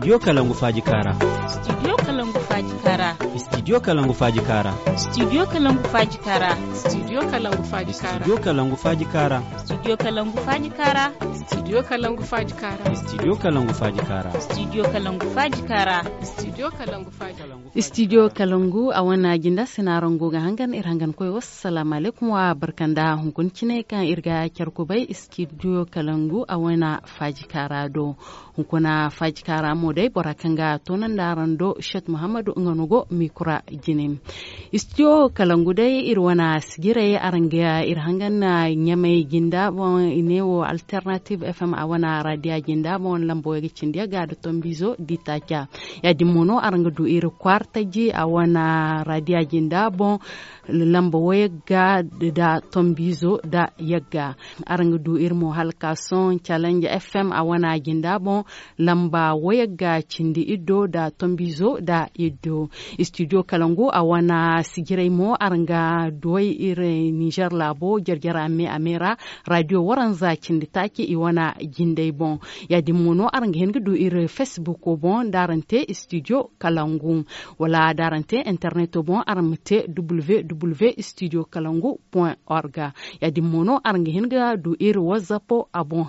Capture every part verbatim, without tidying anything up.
Studio kalangu faaji kaara. Studio kalangu faaji kaara. Studio kalangu faaji kaara. Studio kalangu faaji kaara. Studio kalangu faaji kaara. Studio kalangu faaji kaara. Studio kalangu faaji kaara. Studio kalangu faaji kaara. Studio kalangu faaji kaara. Studio kalangu faaji kaara. Studio kalangu faaji kaara. Studio kalangu a wane jinda sinarango ga hangan iri hangan koy wassalamu alaikum wa barkanda hunkuna cine kaŋ iri ga care kubay studio kalangu a wane faaji kaara do. Hunkuna faaji kaara mo day bora kaŋ ga toonandi araŋ do shet muhammadu nga no go mikura jine. Studio kalangu day iri wane sijiray araŋ ga iri hangan na ɲamay jinda boŋ i ne wo alternative fm a wane radiya jinda boŋ lambo ga cindi ga da tombizo di taaca. Ya- din mo no araŋ ga du iri kwaartaji a wane radiya jinda boŋ lamba wayagga da tombizo da yagga. Araŋ ga du iri mo hala ka sohõ challenge fm a wane jinda boŋ lamba wayagga cindi iddo da tombizo da iddo. Studio kalangu a wane sijiray mo araŋ ga duway iri niger laabo jarjara me a me ra. Radio waranza cindi taaci i wane jindey boŋ. Ya- din mo no araŋ ga hin ga du iri facebook boŋ da araŋ te studio kalangu wala da araŋ te interneto boŋ araŋ ma te www studio kalangu point org. Ya- din mo no araŋ ga hin ga du iri wazzapo a boŋ.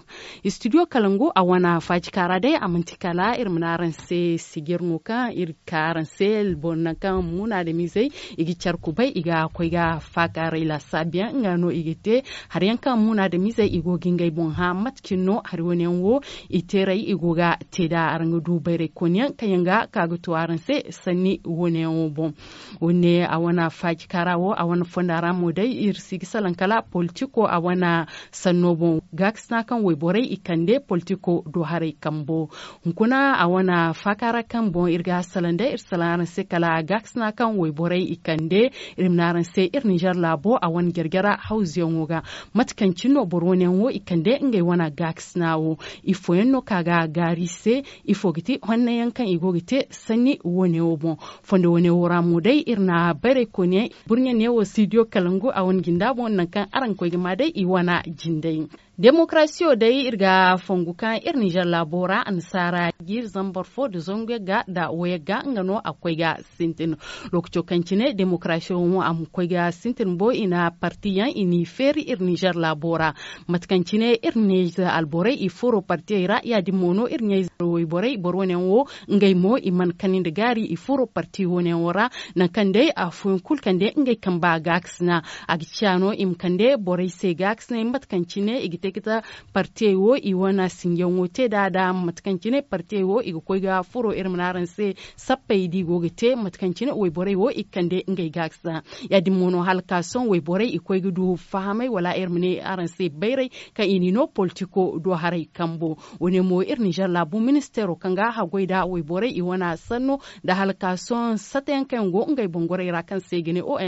Studio kalangu a wane faaji kaara day a manti kala iri ma ne araŋ se sijir no kaŋ iri ka araŋ se boro nangu kaŋ muna da mizey i ga care kubay i ga koy ga faakaaray laasaabu yaŋ nga no i ga te. Hari yaŋ kaŋ muna da mizey i go ga ngey boŋ hã mate cine no hari wane yaŋ wo i teeray i go ga te nd'a araŋ ga du bayray kooni yaŋ kaŋ yaŋ ga ka ga to araŋ se sanni wane yaŋ wo boŋ. Wo- ne a wane faaji kaara wo a wane fonda ra mo day iri si ga salaŋ kala politiko a wane sanno boŋ gaakasina kaŋ wayborey i kande politiko do haray kambo. Hunkuna a wane faaka ra kaŋ boŋ iri ga salaŋ day iri salaŋ araŋ se kala gaakasina kaŋ wayborey i kande iri ma ne araŋ se iri ninzeer laabo a wane jarjara hawzuyaŋo ga. Mate kaŋ cine no boro wane yaŋ wo i kande ngey wane gaakasina wo? Ifo yaŋ no ka ga gaari i se? Ifo ga ti honne yaŋ kaŋ i go ga te sanni wane wo boŋ? Fondo wane wo ra mo day iri na bayray koyne burɲe ne wo studio kalangu a wane jinda boŋ nangu kaŋ araŋ ga koy ga ma day i wane jindey. Demokarasiyo day iri ga fongu kaŋ iri ninzeer laabo ra annasaara jiiri zambar fo nda zangu yagga nda wayagga nga no a ga koy ga sintin. Lookaco kaŋ cine demokarasiyo mo a ma koy ga sintin bo i na parti yaŋ i n'i feeri iri ninzeer laabo ra. Mate kaŋ cine iri ninzeer alborey i furo partiyey ra ya- din mo no iri ninzeer wayborey boro wane yaŋ wo ngey mo i mana kani nda gaari i furo parti wane yaŋ wo ra. Nangu kaŋ day afooyaŋ kulu kaŋ day ngey kamba gaakasina a ga ciya no i ma kande borey se gaakasinay mate kaŋ cine i ga te ga ta partiyey wo i wane sinjaŋo te nd'a da mate kaŋ cine partiyey wo i ga koy ga furo iri ma ne araŋ se sappey da i go ga te mate kaŋ cine wayborey wo i ga kande ngey gaakasina. Ya- din mo no hala ka sohõ wayborey i koy ga du fahamay wala iri ma ne araŋ se bayray kaŋ i n'i no politiko do haray kambo. Wane mo iri ninzeer laabu ministeero kaŋ ga haggoy nda wayborey i wane sanno nda hala ka sohõ satayaŋ kaŋ yaŋ go ngey boŋ gorey ra kaŋ se i ga ne ong.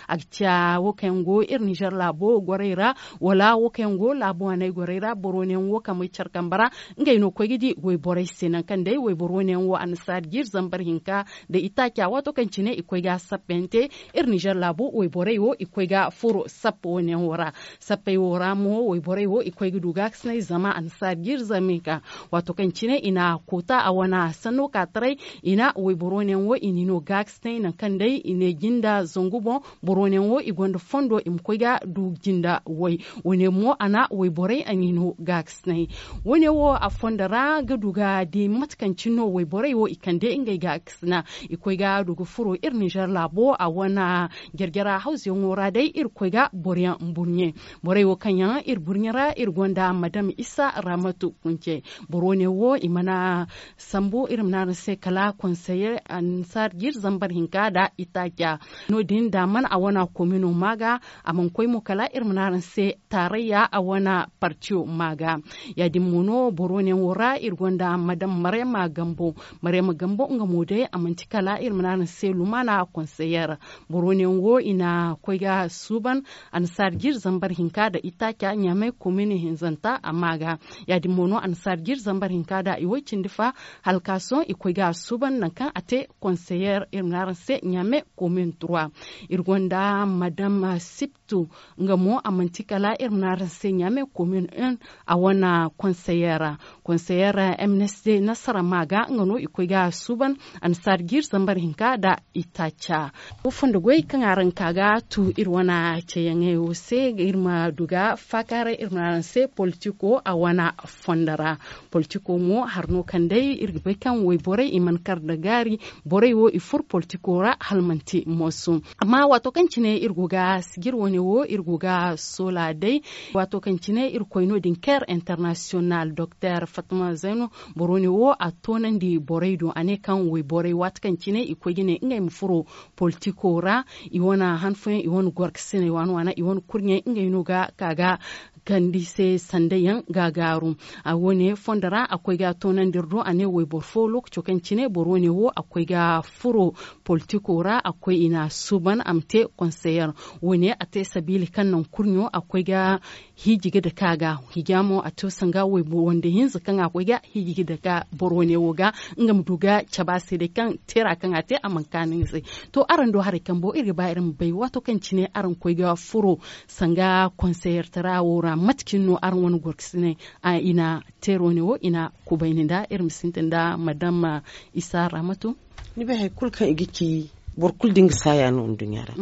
A ga ciya wo kaŋ yaŋ go iri ninzeer laabo gorey ra wala wo kaŋ yaŋ go laabu haney gorey ra boro wane yaŋ wo kaŋ may care kambe ra ngey no ga koy ga di wayborey se nangu kaŋ day wayboro wane yaŋ wo annasaara jiiri zambar hinka nda itaaca waato kaŋ cine i koy ga sappayaŋ te. Iri ninzeer laabu wayborey wo i koy ga furo sappa wane yaŋ wo ra. Sappey wo ra mo wayborey wo i koy ga du gaakasinay zama annasaara jiiri zambar hinka waato kaŋ cine i na koota a wane sanno ka taray i na wayboro wane yaŋ wo i n'i no gaakasinay nangu kaŋ day i ne jinda zangu boŋ. Boro wane yaŋ wo i gonda fondo i ma koy ga du jinda way. Wane mo a na wayborey a n'i no gaakasinay. Wane wo a fondo ra ga du ga di mate kaŋ cine no wayborey wo i kande ngey gaakasina i koy ga du ga furo iri ninzeer laabo a wane jarjara hawzuyaŋo ra day iri koy ga boro yaŋ burɲe. Borey wo kaŋ yaŋ iri burɲe ra iri gonda madam isa ramatu kunce. Boro wane wo i mana sambu iri ma ne araŋ se kala konseye annasaara jiiri zambar hinka nda itaaca. No- din da mana a wane komino ma ga a mana koy mo kala iri ma ne araŋ se taarayya a wane partiyo ma ga. Ya- din mo no boro wane yaŋ wo ra iri gonda madam marayma gambo. Marayma gambo nga mo day a manti kala Hala iri ma ne araŋ se lumaana konseyer boro ne yaŋ wo i na koy ga suuban annasaari jiiri zambar hinka nda itaaca ɲaamay komin hinzanta amma ga. Ya- din mo no annasaari jiiri zambar hinka nda i way cindi fa hala ka sohõ i koy ga suuban nangu kaŋ a te konseyer iri ma ne araŋ se ɲaamay komin turwa. Iri gonda madam siptu nga mo a manti kala iri ma ne araŋ se ɲaamay komin un a wane konseyer ra. Konseyer m n s d nasara ma ga nga no i koy ga suuban annasaari jiiri zambar hinka nda itaaca. Wo fondo goy kaŋ araŋ ka ga tu iri wane ceeyaŋey wo se iri ma du ga faakaaray iri ma ne araŋ se politiko a wane fondo ra. Politiko mo hari no kaŋ day iri ga bay kaŋ wayborey i mana kar nda gaari borey wo i furo politiko ra hala manti moosu. Amma waato kaŋ cine iri go ga sijir wane wo iri go ga soola day. Waato kaŋ cine iri koy no- din care international doktor fatma zayno boro ne wo a toonandi borey do a ne kaŋ wayborey waati kaŋ cine i koy ga ne ngey ma furo politiko ra i wane han fooyaŋ i wane gorkasiney waana waana i wane kurɲey ngey no ga ka ga kandi se sanday yaŋ ga gaaru. A wo- ne fondo ra a koy ga toonandi iri do a ne wayboro fo lookaco kaŋ cine boro wo- ne wo a koy ga furo politiko ra a koy i na suuban a ma te konseyer. Wo- ne a te sabiili kaŋ naŋ kurɲo a koy ga hiiji ga dake a ga. Hiija mo a to sanga waybo wande hinza kaŋ a koy ga hiiji ga dake boro wo- ne wo ga nga ma du ga cabe a se day kaŋ teera kaŋ a te a mana kaanu nga se. To araŋ do haray kambo iri ga ba iri ma bay waato kaŋ cine araŋ koy ga furo sanga konseyertara wo ra mate cine no araŋ wane gorkasiney i na teero ne wo i na kubayni nda iri ma sintin nda madam isa ramatu. Ni bay hari kulu kaŋ i ga ci boro kulu da nga saaya no nduɲɲa ra.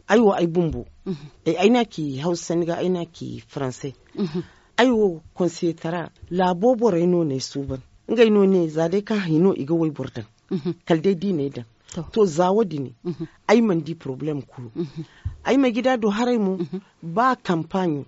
Ay wo ay bumbo ay no a ci hawsa ni ga ay no a ci faranse. Ay wo konseyetara laabo borey no no ay suuban. Ngey no ne za day kaŋ hari no i ga wayboro daŋ kala day da i n'ay daŋ. To za wo- din ay mana di porobalem kulu. Ay ma gida do haray mo ba kampaaɲo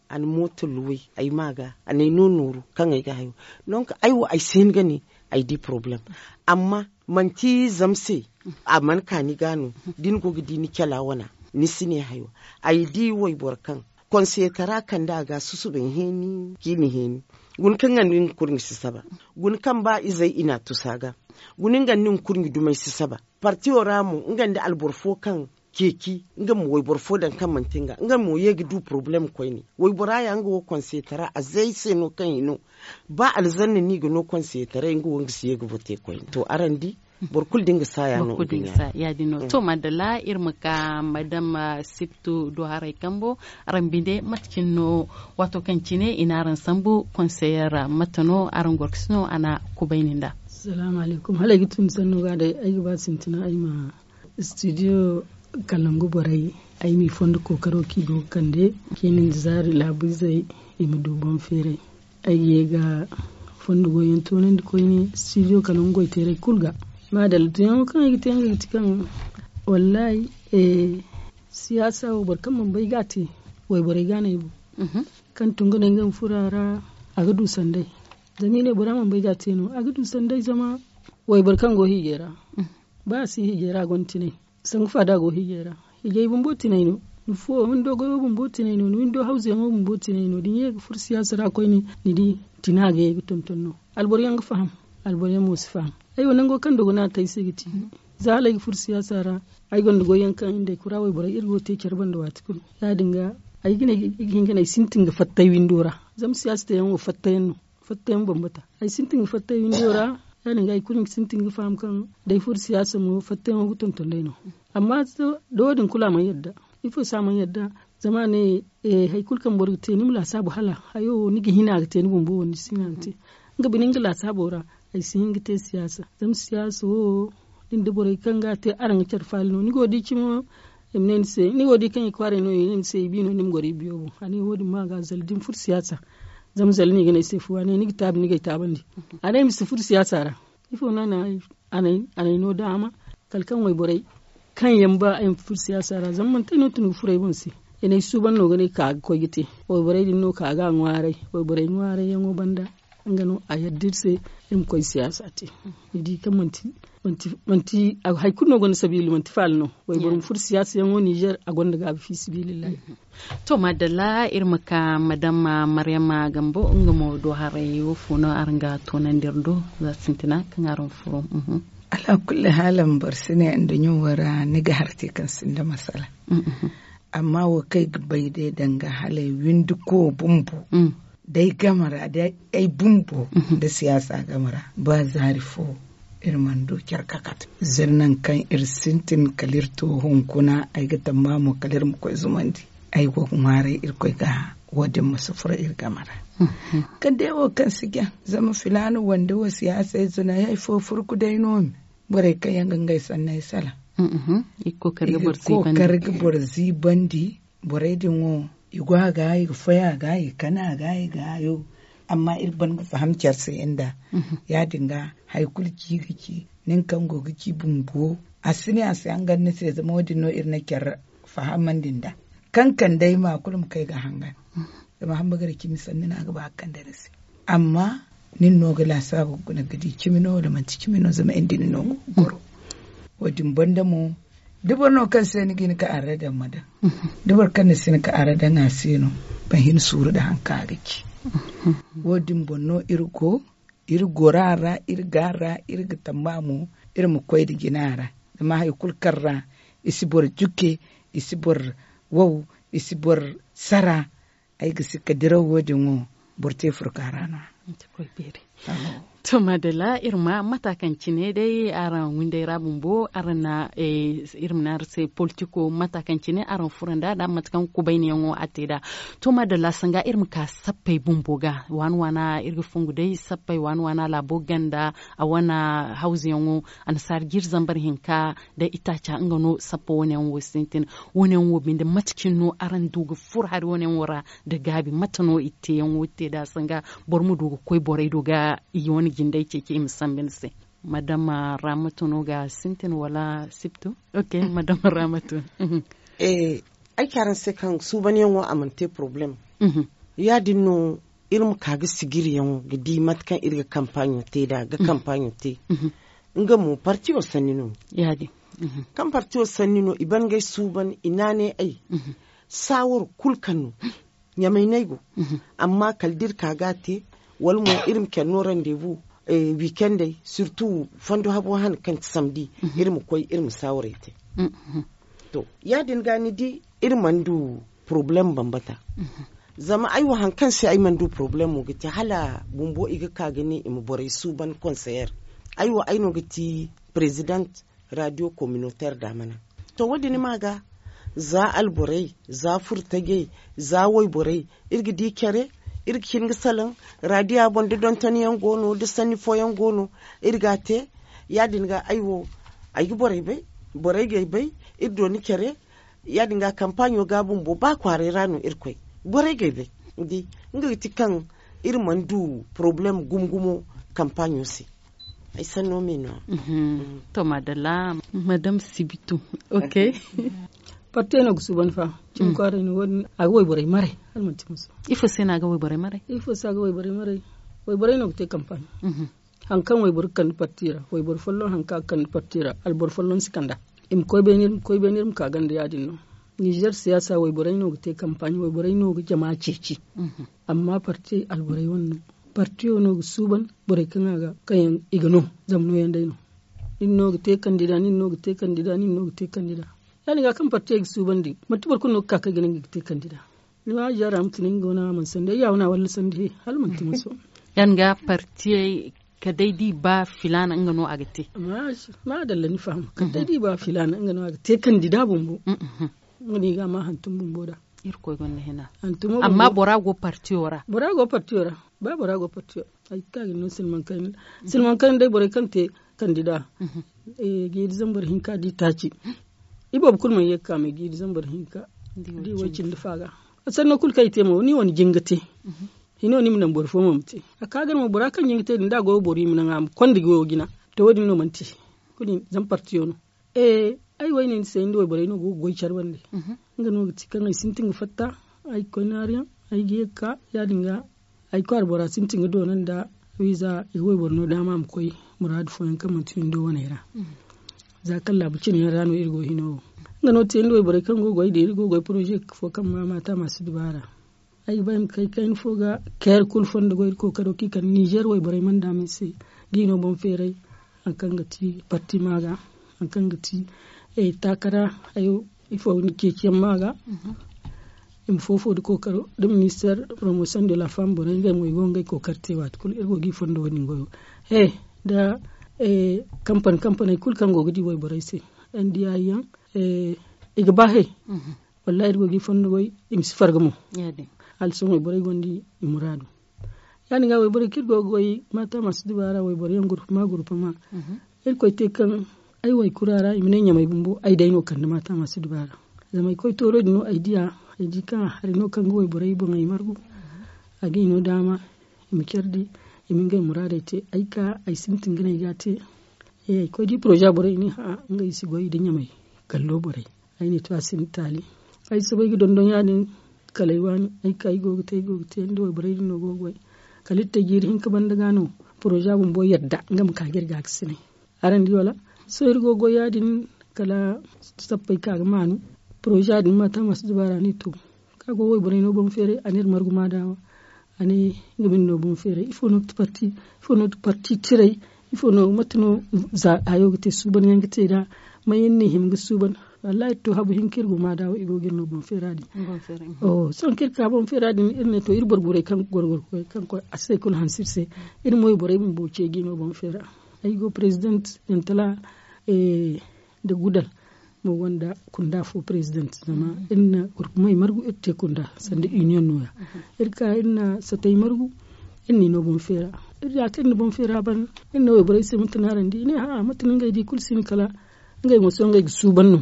a na mooto luway ay ma ga a n'ay no nooru kaŋ ay ga hayo. Donk ay wo ay si hin ga ne ay di porobalem. Amma manti zama se a mana ka ni ga no da ni go ga di ni cala wana ni si ne hayo. Ay di wayboro kaŋ konseyetara kande a ga susubay heeni ciini heeni. Guna kaŋ nga nda nga kurɲe si saba guna kaŋ ba izey i na a tusu a ga. Guna nga nda nga kurɲe dumey si saba partiyo ra mo nga nda alboro fo kaŋ ceeci nga ma wayboro fo daŋ kaŋ manti nga nga mo ye ga du porobalem koyne. Waybora ya nga wo konseyetara a zay se no kaŋ i no ba alzanna no i ga no konseyetaray nga wo nga si ye ga vote koyne to araŋ di. Boro kulu da nga saaya no. Ya- din no to madalla iri ma ka madam siptu do haray kambo araŋ binde mate cine no waato kaŋ cine i na araŋ sambu konseyer ra mate no araŋ gorkasi no a na kubayni nda. Salaamu alaykum hala ay ga tun sanno ga day ay ga ba sintina ay ma studio kalangu borey ay m'i fondo kookaro kaŋ i go ga kande kaŋ i na ni zaari laabu izey i ma du boŋ feeray. Ay ga ye ga fondo goyyaŋ toonandi koyne studio kalangu goy teeray kulu ga. Maadalla tunyaŋo kaŋ ay ga te nga ga ti kaŋ wallaahi siyaasa wo boro kaŋ mana bay ga a te wayborey ga no ay boŋ. Kaŋ tun ga ne nga ma furo a ra a ga du sanday. Zama i ne bora mana bay ga a te no a ga du sanday zama wayboro kaŋ go hiijay ra ba a si hiijay ra a gonda tinay. Sangu fa da a go hiijay ra hiijay bumbo tinay no. Ni fuwo windo goyo bumbo tinay no ni windo hawzuyaŋo bumbo tinay no da ni ye ga furo siyaasa ra koyne ni di tina ga ye ga tonton no. Alboro yaŋ ga faham alboro yaŋ mo si faham. Ay wo nango kaŋ dogo no a te ay se ga ti za hala ay ga furo siyaasa ra ay gonda goyyaŋ kaŋ nda ay kura wayborey iri go ga te care banda waati kulu. Ya- din ga ay ga ne ay ga hin ga ne ay sintin ga fatta ay windo ra zama siyaasa teyaŋ wo fatta yaŋ no. Fatta yaŋ bambata ay sintin ga fatta ay windo ra. Ya- din ga ay kulu sintin ga faham kaŋ da ay furo siyaasa mo fatta yaŋo ga tonton day no. Amma da wo- din kulu a mana yadda ifo se a mana yadda. Zama a ne hari kulu kaŋ boro ga te ni ma laasaabu hala hayo wo ni ga hina ga te ni bumbo wo ni si hina ga te. Nga bine nga laasaabo ra ay si hin ga te siyaasa zama siyaasa wo da ni da borey kaŋ ga a te araŋ ga care faala no ni go ga di cimo. I ma ne ni se ni go ga di kaŋ i kwaaray no i ne ni se i bi no ni ma goro i biyo boŋ a ne wo- din ma ga zala da ni furo siyaasa. Zama zala no i ga ne ay se fu a ne ni ga taabi ni ga ay taabandi. A ne ay ma si furo siyaasa ra ifo no a ne ay a n'ay no daama kala kaŋ wayborey kaŋ yaŋ ba ay ma furo siyaasa ra zama manti ay no tun ga furo ay boŋ se. I n'ay suuban no ga ne ka ga koy ga te wayborey din no ka ga a ŋwaaray wayborey ŋwaarayyaŋo banda. Nga no a yadda iri se iri ma koy siyaasa te. Ni di kaŋ manti manti hari kulu no gonda sabiila manti faala no. Wayboro ma furo siyaasa yaŋo ninzeer a gonda gaabi fi sabilillahi. To maadalla iri ma ka madam maryama gambo nga mo do haray wo fo no araŋ ga toonandi iri do za sintina kaŋ araŋ furo. Alaakulli haala boro si ne nda ɲawo ra ni ga harti kaŋ sinda masala. Amma wo kaŋ ay ga bay day danga hala ay windi ko bumbo day game ra day ay bumbo nda siyaasa game ra ba zaari fo iri mana du care kakate zirnan kaŋ iri sintin kala iri to hunkuna ay ga tamba mo kala iri ma koy zumandi. Ay go ga ŋwaaray irkoy ga wo- din ma si furo iri game ra. Kala day wo kaŋ si jaŋ zama filaana wande wo siyaasa ize no ay hari fo furku day no me. Borey kaŋ yaŋ ga ngey sanney salaŋ i ga kookari ga boro ziibandi. Borey din wo i go a ga i ga foy a ga i ga kana a ga i ga hayo. Amma iri ban ga faham care se nda ya- din ga hari kulu ci ga ci nin kaŋ go ga ci bumbo a si ne a si hangan ni se zama wo- din no iri na care fahamandi nda kaŋ kande ay ma kulu ma kay ga hangan. Zama hamba ga ra cimi sanni no a ga ba ga kande ni se. Amma nin no ga laasaabu ga guna ga di cimi no wala manti cimi no zama iri din no ga goro. Wo- din banda mo da boro no kaŋ se ni ga hin ka arre daŋ ma daŋ da boro kaŋ ni si hin ka arre daŋ a se no. Ban hin suuru nda hari kaŋ a ga ci wo- din boŋ no iri go iri goro a ra iri ga a ra iri ga tamba mo iri ma koy nda jina ra. Zama hari kulu kaŋ ra i si boro juke i si boro wow i si boro sara. Ay ga si ka diraw wo- din wo boro te furka ra no a. To madalla iri ma mata kaŋ cine day araŋ winday ra bumbo araŋ na iri ma ne araŋ se politiko mata kaŋ cine araŋ furo nda nda mate kaŋ kubayniyaŋo a te nd'a. To madalla sanga iri ma ka sappey bumbo ga waana waana iri ga fongu day sappey waana waana laabo ganda a wane hawzuyaŋo annasaara jiiri zambar hinka nda itaaca nga no sappa wane yaŋ wo sintin. Wane yaŋ wo binde mate cine no araŋ du ga furo hari wane yaŋ wo ra nda gaabi mate no i te yaŋ wo te nd'a sanga boro ma du ga koy borey do ga i wane jindey ceeci i ma sambu ni se. Madama ramatu no ga sintin wala siptu? Ok madama ramatu. Ay ci araŋ se kaŋ suubanyaŋo a mana te porobalem. Ya- din no iri ma ka ga sigiriyaŋo ga di mate kaŋ iri ga kampaaɲo te nd'a ga kampaaɲo te. Nga mo partiyo sanni no. Kaŋ partiyo sanni no i ban ga ay suuban i naanay ay saawaro kulu kaŋ no ɲamay no ay go. Amma kala da iri ka ga a te wala mo iri ma care no randebu wiikendey sirtu fondo habo hane kaŋ ti samdi iri ma koy iri ma saawaray te. To ya- din ga ni di iri mana du porobalem bambata. Zama ay wo hari kaŋ se ay mana du porobalemo ga ti hala bumbo i ga ka ga ne i ma borey suuban konseyer. Ay wo ay no ga ti perezident radio kominoter daamana. To wo- din ma ga za alborey za furtajey za wayborey iri ga di care iri ga hin ga salaŋ radiya boŋ da dontonyaŋ go no da sanni fooyaŋ go no. Iri ga a te ya- din ga ay wo ay ga borey bay borey ga ay bay iri dooni care. Ya- din ga kampaaɲo ga bumbo ba kwaaray ra no iri koy borey ga ay bay. Ni di nga ga ti kaŋ iri mana du porobalem gumo gumo kampaaɲo se. Ay sanno me no- ya. To madalla madam sibitu. Ok. Partey no ga suuban fa cimi kwaaray no wo- din a ga wayborey maray hala manti muso. Ifo se no a ga wayborey maray? Ifo se a ga wayborey maray? Wayborey no ga te kampaaɲo. Hari kaŋ wayboro ga kande parti ra wayboro folloŋ hari kaŋ a ga kande parti ra alboro folloŋ si kand'a. I ma koy beene iri ma ka ganda ya- din no. Nizer siyaasa wayborey no ga te kampaaɲo wayborey no ga jama ceeci. Amma parti alborey wane no. Partiyo no ga suuban borey kaŋ a ga kaŋ yaŋ i ga no. Zama nooyaŋ day no. Nin no ga te kandida nin no ga te kandida nin no ga te kandida. Ya- din ga kaŋ partiyo ga suuban din manti boro kulu no ga ka kaŋ ay ga ne nga ga te kandida. Ni ma a jaara ma tun nga wane a mana sanda ay ya wane a walla sanda he hala manti muso. Ya- din ga partiyey kala day da i ba filaana nga no a ga te. Maadalla ni faham kala day da i ba filaana nga no a ga te kandida bumbo. Nga no i ga a ma hantum bumbo da. Irkoy gonda hina. Amma bora go partiyo ra? Bora go partiyo ra. Ba bora go partiyo ra ay ga ka ga ni no silmaŋ kayna. Silmaŋ kayna day borey kaŋ te kandida jiiri zambar hinka da i taaci. Iboobo kulu mana ye ga ka me jiiri zambar hinka da i way cindi fa ga. Sanno kulu kaŋ i te mo ni wane jin ga te. Hino ni ma naŋ boro fo mo ma te a ka ga no mo bora kaŋ jin ga te din da a go ga boro i ma naŋ a ma konda goyo jina. To wo- din no mana te. Kulu zama partiyo no. Ay wo ay ne ni se ni da wayborey no go ga goy care bande. Nga no ga ti kaŋ ay sintin ga fatta ay ga koy naariyaŋ ay ga ye ga ka ya- din ga. Ay kwaara bora sintin ga doona nda wiiza i ga wayboro no daama a ma koy muraadu fooyaŋ kaŋ manti windo waney ra. Za kaŋ laabu cine yaŋ ra no iri go hino wo. Nga no te ni da wayborey kaŋ go ga goy din iri go ga goy poroze fo kaŋ ma maata ma si dubaara. Ay ga ba ay ma kay kayna fo ga care kulu fondo go iri kookaro kaŋ i kande nizer wayborey mana daama ay se. Ga i no boŋ feeray. hari kaŋ ga ti parti ma ga, hari kaŋ ga ti taakara hayo, ifo ni ceeciyaŋ ma ga. I ma foofo nda kookaro nda minister promotion de la femme borey ngey mo i go ga ngey kookari te waati kulu iri go ga i fondo wo- din goyo. He, nda kampani kampaney kulu kaŋ go ga di wayborey se, andiyayi yaŋ, i ga ba he. Wallahi iri go ga i fondo goy, i ma si farga mo. Hala sohõ wayborey gonda i muraadu. Ya- din ga wayborey kaŋ iri go ga goy maata masu dubaara wayboro yaŋ gurpama gurpama. Iri koy te kaŋ ay waykura ra i ma ne ɲamay bumbo ay day no kande maata masu dubaara. Zama ay koy tooro din no ay diya, ay di kaŋ a hari no kaŋ ga wayborey boŋey margu. A ga i no daama i ma care di, i ma ngey muraadey te. Ay ka ay sintin ga ne ay ga a te. Ay koy di poroza borey i ne ha'a ngey si goy nda ɲamay gallo borey. Ay ne to a sinda taali. Ay soobay ga dondon ya- din. Kala ay waani ay ka ay go ga te ay go ga te nda wayborey din no go ga goy. Kala iri te jiiri hinka banda ga no poroza bumbo yadda nga ma ka ga iri ga ga sinay. Araŋ di wala? Sohõ iri go ga goy ya- din. Kala sappey ka ga maanu poroza din maata masu dubaara ne to. Ka go wayborey no boŋ feeray a ne iri margu ma daawa. A ne nga binde no boŋ feeray ifo no ga ti parti? Ifo no ga ti parti tiray? Ifo no mate no za hayo ga te suuban yaŋ ga te nd'a? May iri na i hima ga suuban? Wallahi iri to habu hinka iri go ma daawa i go ga iri no boŋ feera din. Sohõ kaŋ iri ka boŋ feera din iri ne to iri boro guray kaŋ ga gorgorkoy kaŋ koy a si hay kulu hanse iri se. Iri mo iri borey bumbo ceeji no boŋ feera. Ay go president yantala nda gudal mo gonda kunda fo president zama iri na gurpumey margu iri te kunda sanda union no- ya. Iri ka iri na satey margu iri na i no boŋ feera. Iri ya kaŋ iri na boŋ feera ban iri ne wayborey se mate no araŋ di i ne ha'a mate no ngey di kulu si hin kala ngey mo sohõ ngey ga suuban no.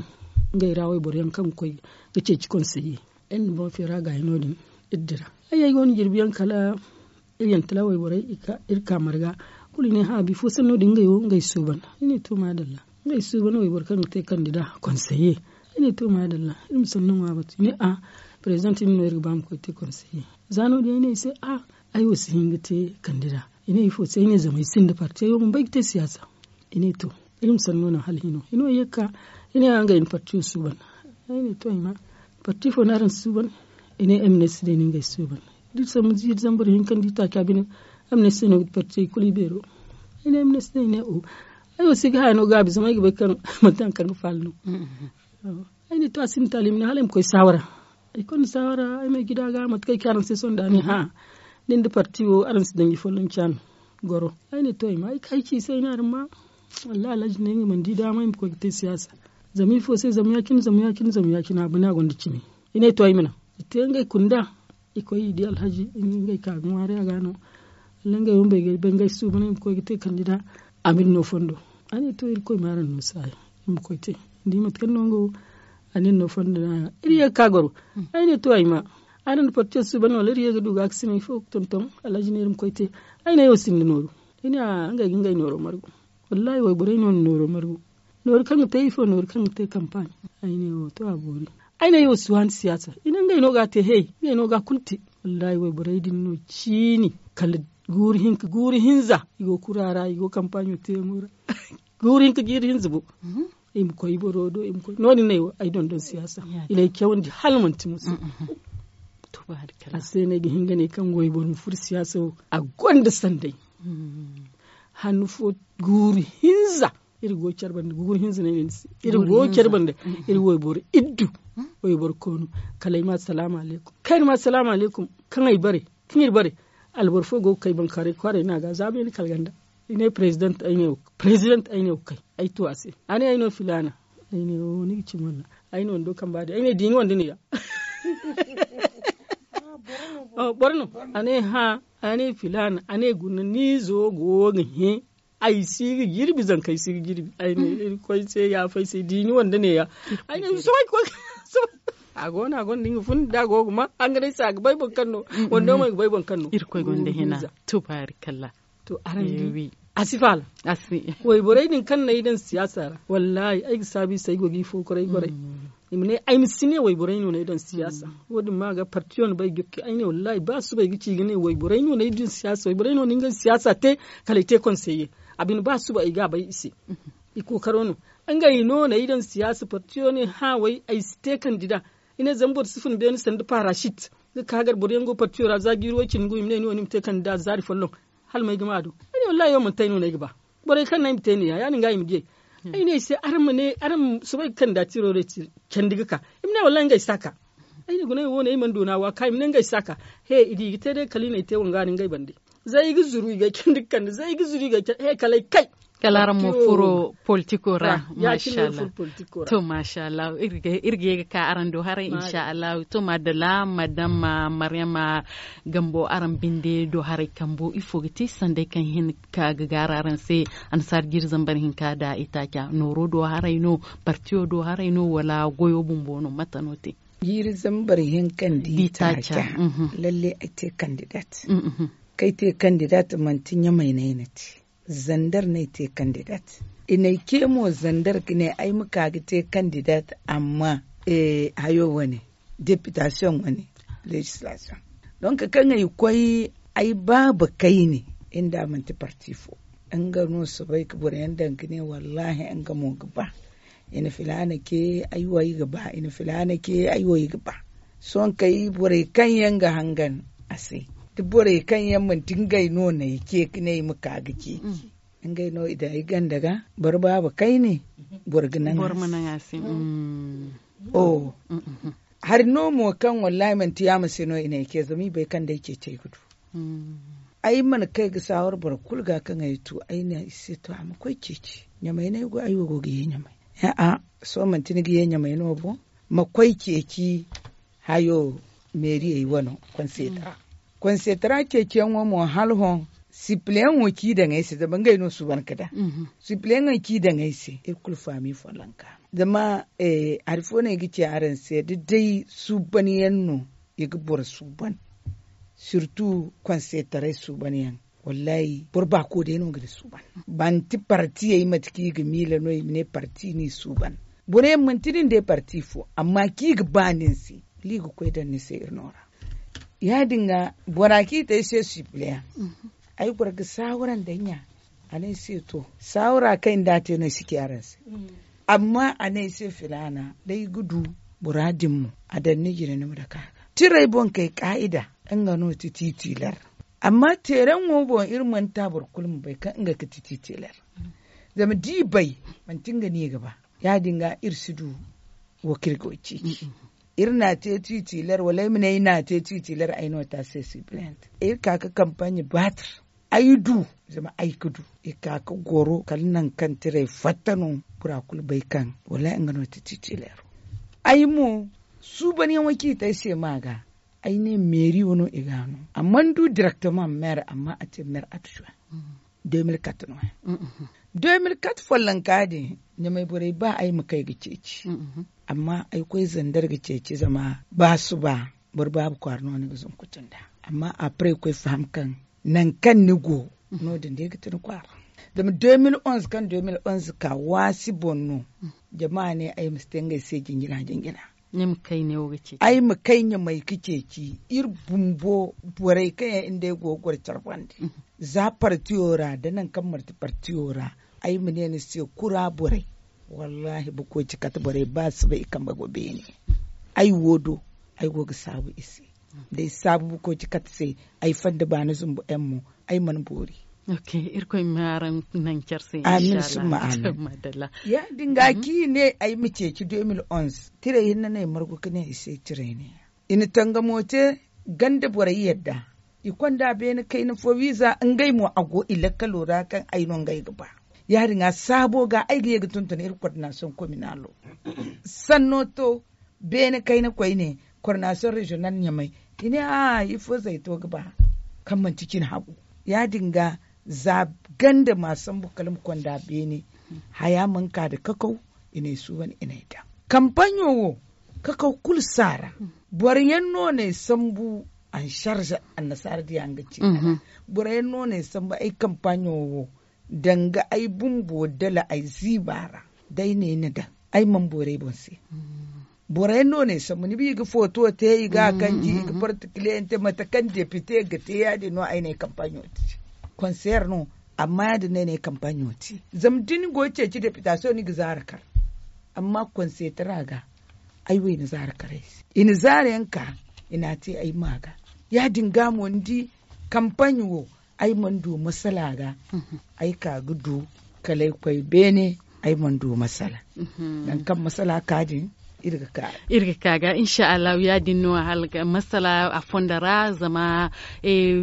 Ngey ra wayboro yaŋ kaŋ ga koy ga ceeci konseye. Iri na boŋ feera gaayi no- din iri dira ay ay go no jirbi yaŋ kala iri yantala wayborey iri ka marga kulu i ne ha'a bifo sanno din ngey wo ngey suuban. Ay ne to maadalla ngey suuban wayboro kaŋ ga te kandida konseye. Ay ne to maadalla iri ma sanno ŋwa batu i ne a president iri no iri ga ba ma koy te konseye. Za no- din ay ne i se a ay wo si hin ga te kandida. I ne ifo se ay ne zama ay sinda parti ay wo bumbo ay ga te siyaasa. I ne to iri ma sanno naŋ hala hino hino ye ga ka i ne a ngey na partiyo suuban. Ay ne to ay ma parti fo no araŋ suuban? I ne mns day no ngey suuban. Da iri sambu ziiri zambar hinka nda i taaci a bine mns day no ga ti parti ay kulu i beero. Ay ne mns day ne o ay wo si ga haya no gaabi zama ay ga bay kaŋ manti hari kaŋ ga faala no. Ay ne to a sinda taali i ma ne hala ay ma koy saawara. Ay konda saawara ay ma ay gida ga mate kaŋ ay ci araŋ se sohõ da a ne hã nin da parti wo araŋ si danji folloŋ caanu goro. Ay ne to ay ma ay ka ay ci i se ay ne araŋ ma wallahi alhaji ne nga mana di daama ay ma koy ga te siyaasa. Zama ifo se zama ya- cine zama ya- cine zama ya- cine a bana gonda cimi. I ne to ay ma naŋ i te ngey kunda i koy i di alhaji ngey ka ga ŋwaari a ga no. Wala ngey wo ma bay ga bay ngey suuban ay ma koy ga te kandida. A ma iri no fondo. A ne to irkoy ma araŋ no saayi iri ma koy te ni di mate kaŋ no nga wo. A ne ni no fondo no a ya iri ye ga ka goro. Ay ne to ay ma araŋ na partiyo suuban wala iri ye ga du ga ga sina ifo ga tonton alhaji ne iri ma koy te. Ay ne ay wo sinda nooru. I ne a ngey ga ngey nooro margu. Wallahi wayborey no na nooro margu. Nooru kaŋ ga te ifo nooru kaŋ ga te kampaaɲ. Ay ne wo to a boori. Ay ne ay wo si waani siyaasa i ne ngey no ga a te hey ngey no ga a kulu te. Wallahi wayborey din no ciini kala guuru hinka guuru hinza i go kura ra i go kampaaɲo teyaŋo ra. Guuru hinka jiiri hinza bo. I ma koy boro do i ma koy no- din no ay wo ay dondon siyaasa. I na ay cawandi hala manti musu. A se no ay ga hin ga ne kaŋ wayboro ma furo siyaasa wo a gonda sanday. Hanno fo guuru hinza iri go care banda guuru hinza no ay ne ni se. Iri go care banda iri wayboro iddu wayboro koonu. Kala ay ma salaamu alaykum kaŋ ay bare kaŋ iri bare alboro fo go ga kay bankaaray kwaaray no a ga za beene kala ganda. I ne president ay ne wo kay president ay ne wo kay ay tu a se. A ne ay no filaana. Ay ne wo ni ga cimi walla ay ne wando kamba din ay ne diini wanda ne ya. Boro no a ne hã. A ne filaana a ne guna ni zo go ga hẽ. Ay si ga jirbi zanka ay si ga jirbi ay ne irkoy se yaafa ay se diini wanda ne ya. Ay ne sohõ ay koy a go no a gonda nga fun da a go ga ma hanganay se a ga bay boro kaŋ no. Wando mo ay ga bay boro kaŋ no. Irkoy gonda hina. Tubaarikalla. To araŋ di a si faala. Wayborey din kaŋ no ay daŋ siyaasa ra wallaahi ay ga saabu i se ay go ga i fo koray goray. I ma ne ay ma si ne wayborey no no ay daŋ siyaasa. Wo- din ma ga partiyo no bay ga ay ne wallaahi ba suba ay ga ci ga ne wayborey no no ay daŋ siyaasa wayborey no no ay daŋ siyaasa te. Kala ay te konseye a bine ba suba ay ga a bay i se. I kookaro no ngey no no ay daŋ siyaasa partiyo ne hã way ay si te kandida. I ne zama boro si fun beene sanda parasit ga ka gar boro yaŋ go partiyo ra za jiiri way- cindi gu i ma ne ni wo ni ma te kandida zaari folloŋ. Hala may ga ma a do ay ne wallaahi wo manti ay no no ay ga ba. Borey kaŋ no ay ma te ne ya ya- din ga i ma di ay. Ay ne i se araŋ ma ne araŋ ma soobay ga kandida tiro day candi ga ka. I ma ne wallahi ngey si a ka. Ay ne guna ay wo ne ay mana doona wo a ka i ma ne ngey si a ka. He i di i ga te day kala i na ay te wanga no ngey bande. Zay i ga zuru i ga ay candi ga kande zay i ga zuru i ga ay candi he kala ay kay. Kala araŋ mo furo politiko ra. Masha Allah. To masha Allah. Iri ga ye ga ka araŋ do haray insha Allah. To madalla madam maryama gambo araŋ binde do haray kambo ifo ga te sanday kaŋ hin ka ga gaara araŋ se? Annasaara jiiri zambar hinka nda itaaca nooro do haray no? Partiyo do haray no wala goyo bumbo no mate no te? Jiiri zambar hinka nda itaaca. Lalle ay te kandidat. Kaŋ ay te kandidat manti ɲamay no ay na te. Zandar no ay te kandidat. I na ay ce mo zandar ga ne ay ma ka ga te kandidat. Amma hayo wane depitasiyoŋ wane lezislasiyoŋ. Donk kaŋ ay koy ay baaba kayne inda manti parti fo. Nga no soobay ga boro yaŋ daŋ ga ne wallahi nga mo ga ba. I na filaana ce ay wo ay ga ba i na filaana ce ay wo ay ga ba. Sohõ kay borey kaŋ yaŋ ga hangan a se da borey kaŋ yaŋ manti ngey no na ay ce ga ne ay ma ka ga ceeci. Ngey no i daŋ ay ganda ga boro baaba kayne boro ga naŋ a se. Hari no mo kaŋ wallahi manti yaama se no i na ay ce zama i bay kaŋ day ceeci ay ga du. Ay mana kay ga saawar boro kulu ga kaŋ ay tu ay ne i se to a ma koy ceeci ɲamay no ay go ay wo go ga ye ɲamay. Sohõ manti ni ga ye ɲamay no bo ma koy ceeci hayo meeriyey wano konsetara. Konsetara ceeciyaŋo mo hala hõ sipileyaŋo ci daŋ ay se zama ngey no suuban ga daŋ. Sipileyaŋey ci daŋ ay se iri kulu faami follanka. Zama hari fo no ay ga ci araŋ se da day suubanyaŋ no i ga boro suuban sirtu konsetaray suubanyaŋ. Wallahi boro baako day no ga ni suuban. Manti partiyey mate kaŋ i ga miila no i ma ne parti no i suuban. Boro yaŋ manti nin day parti fo amma kaŋ i ga ba nin se wala i ga koy daŋ ni se iri no ra. Ya- din ga bora kaŋ i te ay se sipileyaŋ ay goro ga saawara nda ay ɲa. A ne ay se to saawara kaŋ ay nda a te no ay si ci araŋ se. Amma a ne ay se filaana day ga du bora din mo a daŋ ni jine ni ma dake a ga. Tiray boŋ kay kaa'ida nga no ti titiler. Amma teeraŋo boŋ iri mana ta boro kulu ma bay kaŋ nga ga ti titiler. Zama da i bay manti nga no i ga ba. Ya- din ga iri si du wo kaŋ iri go ceeci. Iri na te titiler wala ay ma ne ay na te titiler ay no ta se sibilent iri ka ga kampaɲe batir. Ay du zama ay ga du i ka ga goro kala nangu kaŋ tiray fatta no. Bora kulu bay kaŋ wala nga no ti titilero. Ay mo suubanyaŋo kaŋ i te ay se ma ga ay ne meeri wo no i ga a no a mana du direktemaŋ meere amma a te meere adjoint. De mil kat no ya de mil kat follonka din ɲamay borey ba ay ma kay ga ceeci. Amma ay koy zandar ga ceeci zama ba suba boro baabu kwaara no ni ga zunkutu nda. Amma après koy faham kaŋ nangu kaŋ ni go no- din day ga ti ni kwaara. Zama de mil onze kaŋ de mil onze ka waasi boŋ no. Jama ne ay ma si te ngey se jinjina jinjina. Ay ma kay ɲamay ga ceeci iri bumbo borey kaŋ yaŋ nda ay go ga goro care bande. Za partiyo ra da nangu kaŋ marti partiyo ra ay ma ne ni se kura borey. Wallahi bukoci kate borey ba si bay i kambe go beene. Ay wo do ay go ga saabu i se. Da ay saabu bukoci kate se ay fanda baani zumbu yaŋ mo ay mana boori. Irkoy ma araŋ naŋ care se amin summa amin. Ya- din ga kaŋ i ne ay ma ceeci de mil onze tiray hinne no ay margu ga ne i se tiray ne ya i na tangamo te ganda borey yadda. I konda beene kayna fo wiiza ngey mo a go i lakkalo ra kaŋ ay no ngey ga ba. Ya- din ga saabo ga ay ga ye ga tuntun iri kordinasiyoŋ kominalo sanno to beene kayna koyne kordinasiyoŋ reziyonal ɲamay. I ne a'a ifo zayto ga ba kaŋ manti cine hagu. Ya- din ga za ganda ma sambu kala ma konda beene haya mana ka nda kakaw. I n'ay suuban i n'ay daŋ kampaɲo wo kakaw kulu si a ra. Boro yaŋ no n'ay sambu ansarze annasaara diya nga ci kala boro yaŋ no n'ay sambu ay kampaɲo wo danga ay bumbo dala ay ziiba ra. Day no ay na daŋ ay mana boori ay boŋ se. Boro yaŋ no n'ay sambu ni ba i ga footo te i ga a kanji i ga partikiliyante mate kaŋ depite ga te ya- din no ay n'ay kampaɲo te. Konseer no amma ya- din no ay n'ay kampaɲo te. Zama da ni go ga ceeci depitasiyoŋ ni ga zaara kar. Amma konseetara ga ay wo i na zaara kar ay se. I na zaara yaŋ ka i n'a te ay ma ga. Ya- din ga mo ni di kampaɲ wo ay mana du masala ga. Ay ka ga du kala ay koy beene. Ay mana du masala. Nangu kaŋ masala ka din, iri ga ka ga. Insha allahu ya- din no hala ga masala a fondo ra zama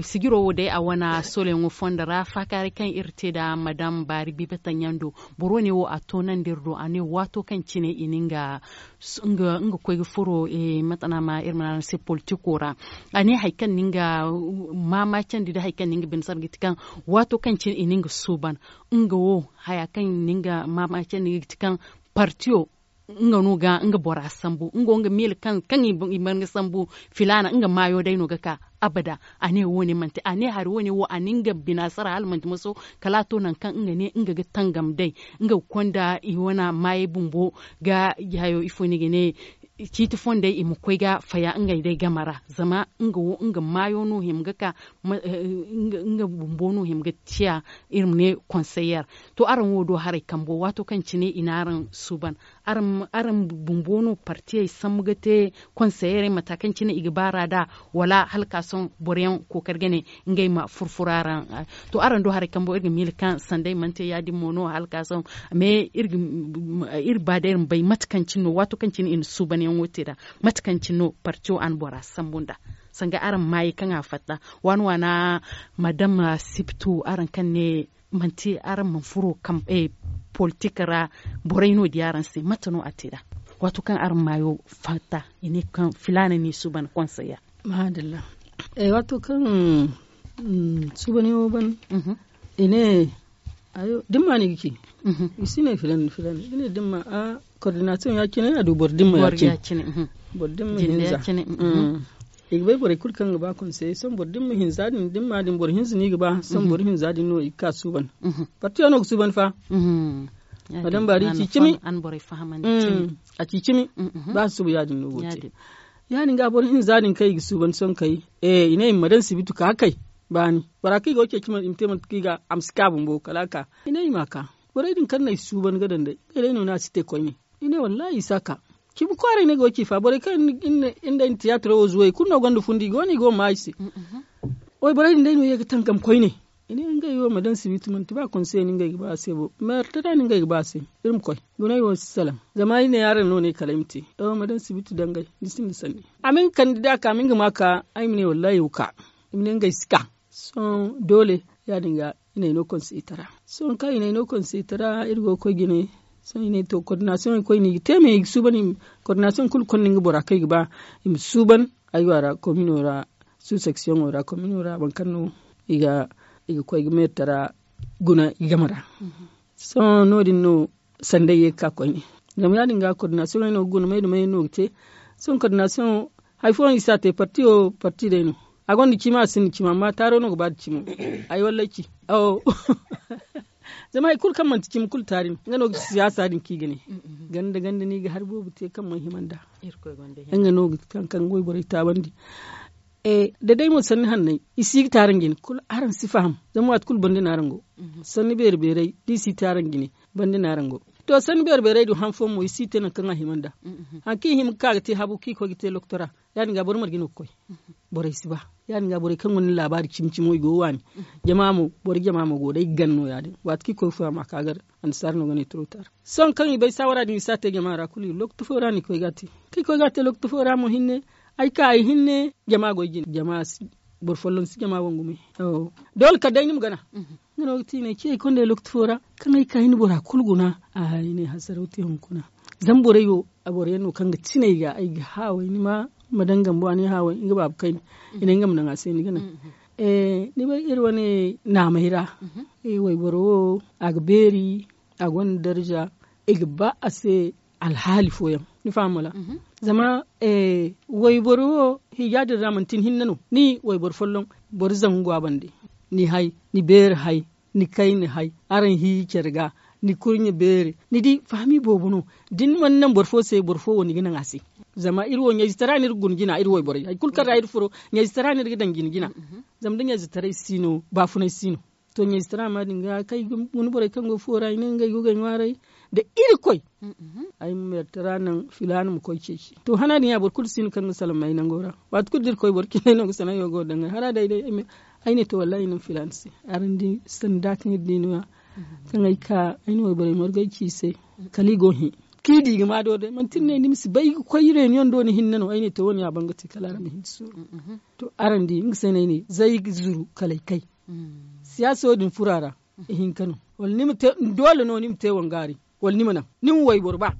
sijiro wo day a wane soloyaŋo fondo ra faakaaray kaŋ iri te nda madam baari biiba taŋ yaŋ do. Boro ne wo a toonandi iri do a ne waato kaŋ cine i na nga nga koy ga furo mate no a ma iri ma ne araŋ se politiko ra. A ne hari kaŋ na nga maamaacandi nda hari kaŋ na nga bine sara ga ti kaŋ waato kaŋ cine i na nga suuban nga wo haya kaŋ i na nga maamaacandi ga ti kaŋ partiyo nga no ga nga bora sambu nga wo nga miila kaŋ i mana ga sambu filaana nga maayo day no ga ka. Abada a ne wo- ne manti a ne hari wo- ne wo a na nga bina sara hala manti maso kala a to nangu kaŋ nga ne nga ga tangam day nga ga konda i wane maayey bumbo ga hayo ifo no i ga ne ciiti fondey i ma koy ga faya ngey day game ra zama nga wo nga maayo no hima ga ka nga bumbo no hima ga ciya iri ma ne konseyer. To araŋ wo do haray kambo waato kaŋ cine i na araŋ suuban araŋ bumbo no partiyey sambu ga te konseyeerey mata kaŋ cine i ga baara nd'a wala hala ka sohõ boro yaŋ kookari ga ne ngey ma furfura araŋ. To araŋ do haray kambo iri ga miila kaŋ sanday mana te ya- din mo no hala ka sohõ mais iri ba day iri ma bay mate kaŋ cine no waato kaŋ cine i na suubanyaŋo te nd'a mate kaŋ cine no partiyo a na bora sambu nd'a sanga araŋ maayey kaŋ a fatta waana waana madam sibtu araŋ kaŋ ne manti araŋ mana furo politik ra borey no di araŋ se mate no a te nd'a waato kaŋ araŋ maayo fatta i ne kaŋ filaana no i suuban konsey ya. Maadalla. Waato kaŋ suubanyaŋo ban i ne dimma no i ga ci i si ne filan filan i ne dimma a kordinasiyoŋ ya- cine a du boro dimma ya- cine boro dimma hinza i ga bay borey kulu kaŋ ga ba konsey sohõ boro dimma hinza din dimma din boro hinza no i ga ba sohõ boro hinza din no i ga ka suuban. Partiyo no ga suuban fa. Madam baari i ci cimi a ci cimi ba suuba ya- din no go te. Ya- din ga boro hinza din kaŋ i ga suuban sohõ kay i ne i ma daŋ sibitu ka kay baani bora kaŋ i go ceeci i ma te mate kaŋ i ga a ma si ka bumbo kala a ka i ne i ma a ka borey din kaŋ no ay suuban ga daŋ day ngey day no no a si te koyne. I ne wallahi i si a ka cimi kwaaray no ay go ga ci fa borey kaŋ iri nda ay na tiyaatiro wo zuway kulu no gonda fundi i go no i go ga ma ay se. Wayborey din day no ye ga tangam koyne. I ne ngey wo ma daŋ sibitu manti ba konsey no ngey ga ba a se bo meertara no ngey ga ba a se. Iri ma koy gunay wo si salaŋ zama ay ne araŋ no ne kala ay ma te. Ay wo ma daŋ sibitu dangay ni sinda sanni a ma nga kandida ka a ma nga ma ka ay ma ne wallahi ay ga ka. I ma ne ngey si ka sohõ doole ya- din ga i n'ay no konseytara. Sohõ kaŋ i n'ay no konseytara iri go ga koy jine. Sohõ i ne to kordinasiyoŋ ay koy no i ga te me i ga suuban. Kordinasiyoŋ kulu konda nga bora kaŋ i ga ba i ma suuban. Aywa ra komino ra suseksiyoŋo ra komino ra boro kaŋ no i ga koy ga meertara guna i game ra. Sohõ no- din no sanday ye ga ka koyne. Zama ya- din ga kordinasiyoŋey no ga guna may da may no ga te. Sohõ kordinasiyoŋ hari fooyaŋ i si a te parti wo parti day no. A gonda cimi a sinda cimi amma taaro no ga ba nda cimo. Ay wallay ci zama hari kulu kaŋ manti cimi kulu taari no nga no ga siyaasa din kaŋ i ga ne. Ganda ganda no i ga hari boobo te kaŋ mana hima nd'a. Nga no ga ti kaŋ kaŋ ga wayborey taabandi. Da day mo sanni hanney i si ga taaraŋ jine kulu araŋ si faham. Zama waati kulu banda no araŋ go sanni beeri beerey da i si taaraŋ jine banda no araŋ go. To sanni beeri beerey din han fooyaŋ mo i si te nangu kaŋ a hima nd'a. Hari kaŋ i hima ga ka ga te habu kaŋ i koy ga te loktora ya- din ga boro marje no ga koy. Borey si ba ya- din ga borey kaŋ gonda laabaari cimi cimo i go ga waani. Jama mo boro jama mo go day ga gana no ya- din waati kaŋ i koy fooyaŋ ma ka gar annasaara no ga ne trotar. Sohõ kaŋ i bay saawara din i si a te jama ra kulu i ga lokaci fo ra no i koy ga a te. Kaŋ i koy ga a te lokaci fo ra mo hinne ay ka ay hinne jama go ay jine jama si boro folloŋ si jama wangumay. Doole kala day ni ma gana. Nga no ga ti i ne ciyey konda ay lokaci fo ra kaŋ ay ka ay na bora kulu guna. Ay ne hasaraw te hunkuna. Zama borey wo boro yaŋ no kaŋ ga tinay ga ay ga haaway ni ma ma daŋ gambo a ne haaway nga baaba kayna. I ne nga ma naŋ a se ni ga naŋ. Ni bay iri wane naamey ra wayboro wo a ga beeri. A gonda darza i ga ba a se alhaali fooyaŋ. Ni faham wala? Zama wayboro wo hiija din ra manti ni hinne no ni wayboro folloŋ boro zangu go a bande. Ni hay ni beeri hay ni kayna hay araŋ hiiji care ga ni kurɲe beeri ni di fahami boobo no. Da ni mana naŋ boro fo se boro fo wo ni ga naŋ a se. Zama iri wo ɲayzitara no iri ga guna jina iri wayborey hari kulu kaŋ ra iri furo ɲayzitara no iri ga daŋ jina jina. Zama da ɲayzitaray si no baafunay si no. To ɲayzitara ma din ga kaŋ ay ga guna borey kaŋ go fuwo ra i ne ngey go ga ay ŋwaaray da irkoy. Ay ma meertara naŋ filaana ma koy ceeci to hana din ya boro kulu si no kaŋ ga salaŋ ma ay nango ra. Waati kulu da irkoy boro cindey no ga sanayyo go daŋ ay hara day day ay ma Ay ne to wallahi ay na filaana se. Araŋ di sanda kaŋ iri di no ya kaŋ ay ka ay na wayborey margay ci i se. Kala i go hẽ kaŋ i di i ga ma do day manti ni ne ni ma si bay ga koy reunion do ni hinne no ay ne to wo- ne ya bangate kala araŋ ma hin suuru. To araŋ di nga se no ay ne zay ga zuru kala ay kay. Siyaaso din furo a ra. Ihinka no wala ni ma te doole no ni ma te wangaari wala ni ma naŋ ni ma wayboro ba.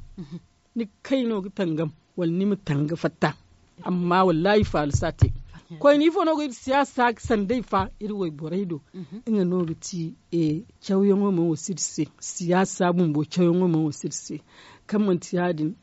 Ni ga kay no ga tangam wala ni ma tanga fatta. Amma wallahi faala si a te. Koyne ifo no ga iri siyaasa ga sanday fa iri wayborey do. Nga no ga ti cawyaŋo mana wasu iri se. Siyaasa bumbo cawyaŋo mana wasu iri se. Kaŋ manti ya- din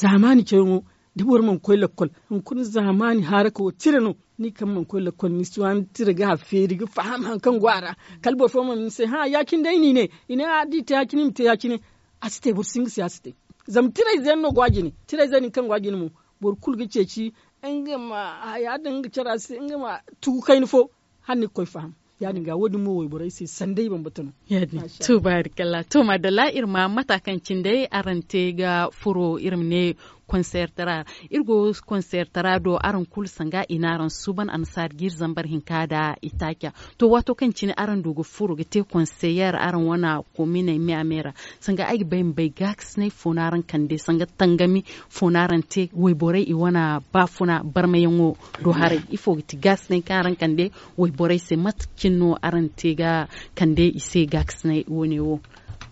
zaamaani cawyaŋo da boro mana koy lakkol. Hunkuna zaamaani haaraka wo tira no. Ni kaŋ mana koy lakkol ni si waani tira ga a feeri ga faham hari kaŋ go a ra. Kala boro fo mana ni se hã ya- cine day no i ne. I ne a da i te ya- cine i ma te ya- cine. A si te boro si hin ga siyaasa te. Zama tirayze yaŋ no go a jine. Tirayze din kaŋ go a jine mo boro kulu ga ceeci nga ma haya din nga care a se nga ma tugu kayna fo. Hala ni ga koy faham. Ya- din ga wo- din mo wayborey se sanday bambata no. Ya- din. To baarikalla to maadalla iri ma mata kaŋ cine day araŋ te ga furo iri ma ne konseer tara ra. Iri go konseer tara do araŋ kulu sanga i na araŋ suuban annasaari ga iri zambar hinka nda itaaca. To waato kaŋ cine araŋ du ga furo ga te konseyer araŋ wane kominey me a me ra. Sanga ay ga bay ma bay gaakasinay fo no araŋ kande sanga tangami fo no araŋ te wayborey i wane baafuna barmayaŋo do haray ifo ga ti gaakasinay kaŋ araŋ kande wayborey se mate cine no araŋ te ga kande i se gaakasinay wane wo?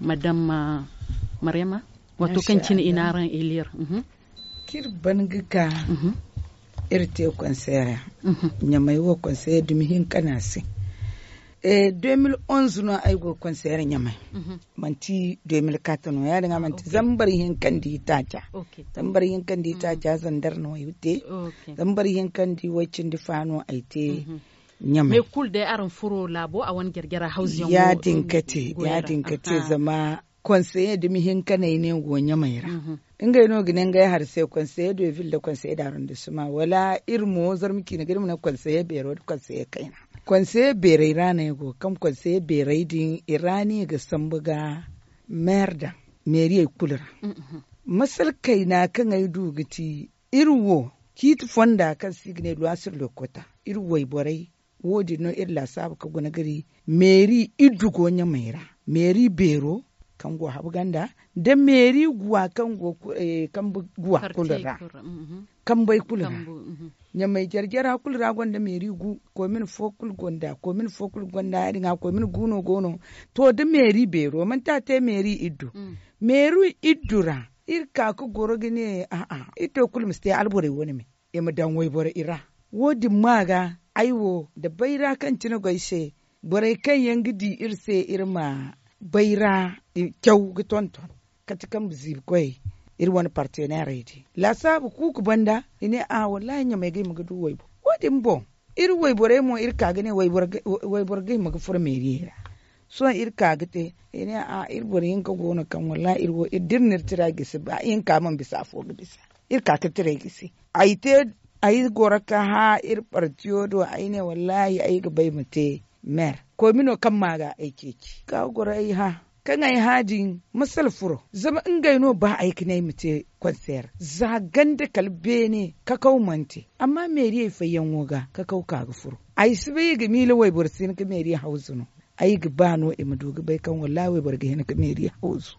Madam maryama. Waato kaŋ cine i na araŋ elir. Kaŋ iri ban ga ka iri te konseer ra. Ɲamay wo konseer dumi hinka no a se. Deux mille onze no ay go konseer ɲamay. Manti deux mille quatre no ya- din ga manti zambar hinka nda itaaca. Zambar hinka nda itaaca zandar no ay te. Zambar hinka nda way- cindi fa no ay te. Ɲamay me kulu day araŋ furo laabo a wane jarjara hawzu yaŋ ya- din ga te ya- din ga te zama konseye dumi hinka no ay ne go ɲamay ra. Ngey no ga ne ngey hari se konseye de ville nda konseye de arrondissement wala iri mo zarma ciine ga iri ma ne konseye beero nda konseye kayna. Konseye beerey ra no ay go kaŋ konseye beerey din i ra no i ga sambu ga meer daŋ meeriyey kulu ra. Masala kayna kaŋ ay du ga ti iri wo ciiti fonda kaŋ se i ga ne loisir lokota iri wayborey wo- din no iri laasaabu ka guna gari meeri iddu go ɲamay ra. Meeri beero kaŋ go habu ganda nda meeri guwa kaŋ go kambe guwa kulu ra. Kambey kulu ra ɲamay jarjara kulu ra gonda meeri gu komin fo kulu gonda komin fo kulu gonda ya- din ga komin gu no go no. To da meeri beero manti a te meeri iddu meeri iddu ra iri ka ga goro ga ne a'a iri to kulu ma si te alborey wane me i ma daŋ wayboro i ra. Wo- din ma ga ay wo nda bayra kaŋ cine go ay se borey kaŋ yaŋ ga di iri se iri ma bayra caw ga tonton kate kaŋ ma ziibi koyey iri wane parteneerey din laasaabu kuuku banda i ne a wallahi ɲamay ga hima ga du waybo. Wo- din boŋ iri wayborey mo iri ka ga ne wayboro ga hima ga furo meeriyey ra. Sohõ iri ka ga te i ne a iri boro hinka go no kaŋ wallahi iri wo iri da iri na iri tira gisi ba hinka mana bisa afo ga bisa. Iri ka ga tiray gisi ay te ay goro ka hã iri partiyo do ay ne wallahi ay ga bay ma te meer koy mino kaŋ ma ga ay ceeci ka goro ay hã kaŋ ay hã din masala furo zama ngey no ba ay ga ne ay ma te konseer za ganda kala beene kakaw mana te amma meeriyey fayyaŋo ga kakaw ka ga furo. Ay si bay i ga miila wayboro si hin ga meeriya hawzu no ay ga ba no i ma du ga bay kaŋ wallahi wayboro ga hin ga meeriya hawzu.